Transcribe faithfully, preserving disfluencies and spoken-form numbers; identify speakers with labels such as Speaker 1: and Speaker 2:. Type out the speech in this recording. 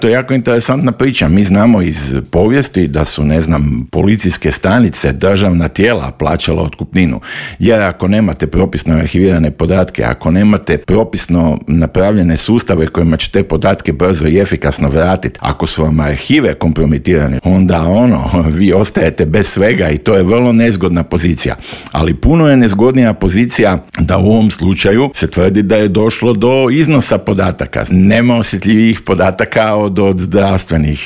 Speaker 1: To je jako interesantna priča. Mi znamo iz povijesti da su, ne znam, policijske stanice, državna tijela plaćala otkupninu. Jer ako nemate propisno arhivirane podatke, ako nemate propisno napravljene sustave kojima će te podatke brzo i efikasno vratiti, ako su vam arhive kompromitirane, onda ono, vi ostajete bez svega i to je vrlo nezgodna pozicija. Ali puno je nezgodnija pozicija da u ovom slučaju se tvrdi da je došlo do iznosa podataka. Nema osjetljivih podataka od, od zdravstvenih,